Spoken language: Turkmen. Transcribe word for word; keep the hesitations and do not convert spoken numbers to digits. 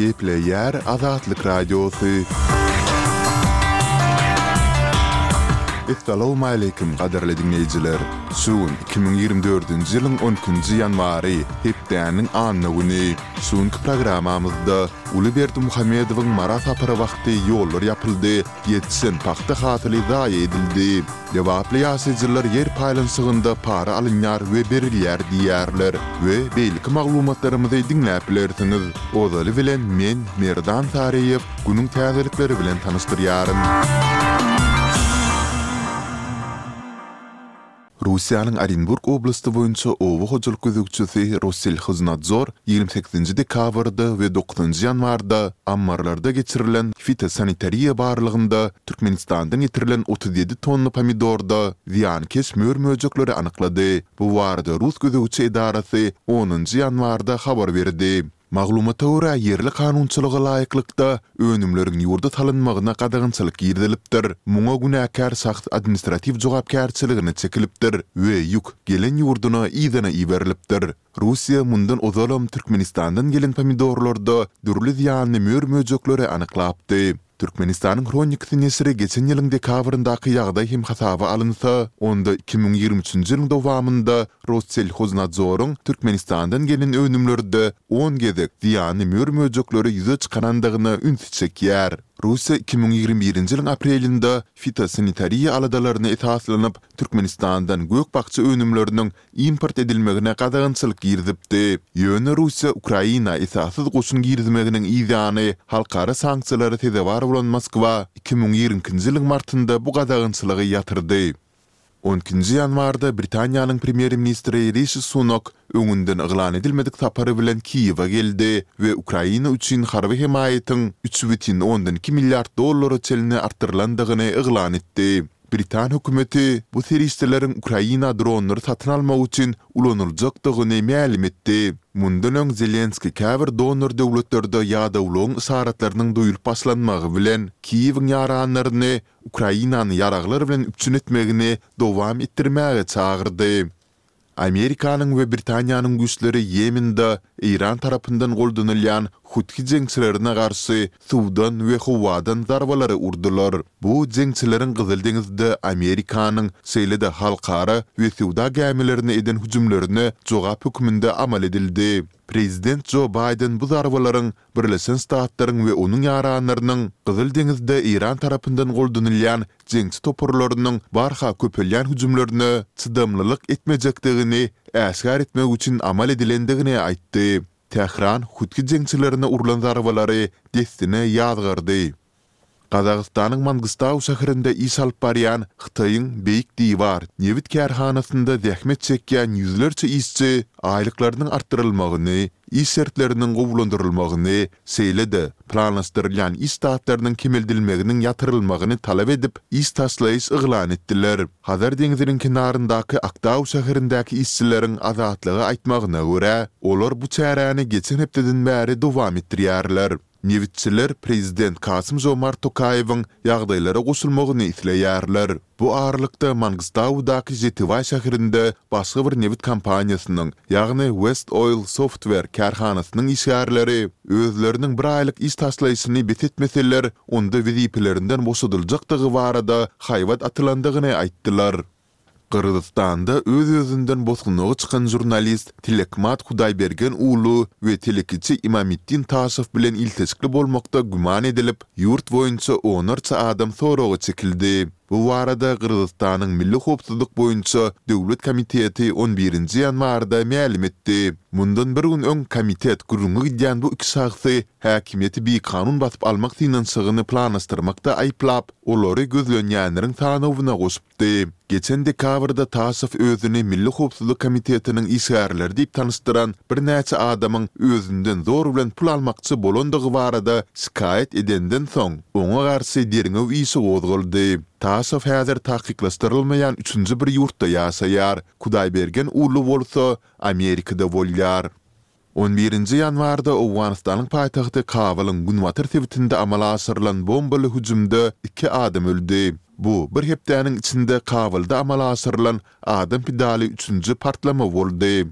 Gepleýär Azatlyk Radiosy. Essalawmaleýkim gadyrly diňleýjiler! Şu gün iki müň ýigrimi dördünji ýylyň on ikinji ýanwary, hepdäniň anna güni. Şu günki programmamyzda Uly Berdimuhamedowyň Mara sapary wagty ýollar ýapyldy, ýetişen pagta hasyly zaýa edildi. Lebaply ýaşaýjylar ýer paýlanyşygynda para alynýar we berilýär diýýärler we beýleki maglumatlarymyzy diňläp bilersiňiz. Ozaly bilen men, Merdan Saryýew, günüň täzelikleri bilen tanyşdyrýaryn. Russiýanyň Orenburg oblasty boýunça oba hojalyk gözegçisi Rosselhoznadzor ýigrimi sekizinji dekabrda we dokuzynjy ýanwarda ammarlarda geçirilen fitosanitariýa barlagynda Türkmenistandan getirilen otuz ýedi tonna pomidorda zyýankeş mör-möjekleri anyklady. Bu barada rus gözegçi edarasy onunjy ýanwarda habar berdi. Maglumata görä, ýerli kanunçylyga laýyklykda, önümleriň ýurda salynmagyna gadagançylyk girizilipdir, muňa günäkär şahs administratiw jogapkärçiligine çekilipdir we ýük gelen ýurduna yzyna iberilipdir. Russiýa mundan ozalam Türkmenistandan gelen pomidorlarda dürli zyýanly mör-möjekleri anyklapdy. Türkmenistanyň Hronikasy neşiri geçen ýylyň dekabryndaky ýagdaý hem hasaba alynsa, onda iki müň ýigrimi üçünji ýylyň dowamynda Rosselhoznadzoryň Türkmenistandan gelen önümlerde on gezek zyýanly mör-möjekleri ýüze çykarandygyna ünsi çekýär. Russiýa iki müň ýigrimi birinji ýylyň aprelinde fitosanitariýa aladalaryna esaslanyp, Türkmenistandan gök-bakja önümleriniň import edilmegine gadagançylyk girizipdi. Ýöne Russiýa Ukraina esassyz goşun girizmeginiň yzýany halkara sanksiýalara sezewar bolan Moskwa iki müň ýigrimi ikinji ýylyň martynda bu gadagançylygy ýatyrdy. On ikinji ýanwarda Britaniýanyň premýer-ministri Rişi Sunak öňünden yglan edilmedik sapary bilen Kiýewe geldi we Ukraina üçin harby hemaýatyň üç bütin ondan iki milliard dollara çenli artdyrylandygyny yglan etdi. Britan hökümeti bu serişdeleriň Ukraina dronlary satyn almak üçin ulanyljakdygyny mälim etdi. Mundan öň Zelenskiý käbir donor döwletlerde ýadawlygyň yşaratlarynyň duýulyp başlanmagy bilen, Kiýewiň ýaranlaryny Ukrainany ýaraglar bilen üpjün etmegini dowam etdirmäge çagyrdy. Amerikanyň we Britaniýanyň güýçleri Ýemende Eýran tarapyndan goldanylýan Huthi jeňçilerine garşy suwdan we howadan zarbalary urdular. Bu jeňçileriň Gyzyl deňizde Amerikanyň, şeýle-de halkara we söwda gämilerine eden hüjümlerine jogap hökmünde amal edildi. Prezident Jo Baýden bu zarbalaryň Birleşen Ştatlaryň we onuň ýaranlarynyň Gyzyl deňizde Eýran tarapyndan goldanylýan jeňçi toparlarynyň barha köpelýän hüjümlerine çydamlylyk etmejekdigini äşgär etmek üçin amal edilendigini aýtdy. Tähran hutgi jeňçilerine urlan zarbalary dessine ýazgardy. Gazagystanyň Mangystau şäherinde iş alyp barýan Hytaýyň Beýik Diwar nebit kärhanasynda zähmet çekýän ýüzlerçe işçi aýlyklarynyň artdyrylmagyny, iş şertleriniň gowulandyrylmagyny, şeýle-de planlaşdyrylýan iş ştatlarynyň kemeldilmeginiň ýatyrylmagyny talap edip, iş taşlaýyş yglan etdiler. Hazar deňziniň kenaryndaky Aktau şäherindäki işçileriň Azatlyga aýtmagyna görä, olar bu çäräni geçen hepdeden bäri dowam etdirýärler. Nebitçiler prezident Kasym-Žomart Tokaýewiň ýagdaýlara goşulmagyny isleýärler. Bu aralykda Mangystaudaky Žetibaý şäherinde başga bir nebit kompaniýasynyň, ýagny West Oil Software kärhanasynyň işgärleri özleriniň bir aýlyk iş taşlaýşyny bes etmeseler, onda wezipelerinden boşadyljakdygy barada haýbat atylandygyny aýtdylar. Gyrgyzystanda öz-özünden bosgunlyga çykan žurnalist Tilekmat Hudaýbergen uulu we telekeçi Imamitdin Taşow bilen ilteşikli bolmakda güman edilip, ýurt boýunça onlarça adam soraga çekildi. Bu barada Gyrgyzystanyň Milli howpsuzlyk boýunça döwlet komiteti on birinji ýanwarda mälim etdi. Mundan bir gün öň komitet gürrüňi gidýän bu iki şahsy häkimiýeti bikanun basyp almak synanyşygyny planlaşdyrmakda aýyplap, olary gözlenýänleriň sanawyna goşupdy. Geçen dekabrda Taşow özüni Milli howpsuzlyk komitetiniň işgärleri diýip tanyşdyran birnäçe adamyň özünden zor bilen pul almakçy bolandygy barada şikaýat edenden soň, oňa garşy derňew işi gozgaldy. Taşow häzir takyklaşdyrylmaýan üçünji bir ýurtda ýaşaýar, Kudaýbergen Uulu bolsa Amerikada bolýar. On birinji ýanwarda Owganystanyň paýtagty Kabulyň günbatar sebitinde amala aşyrylan bombaly hüjümde iki adam öldi. Bu bir hepdäniň içinde Kabulda amala aşyrylan adam pidaly üçünji partlama boldy.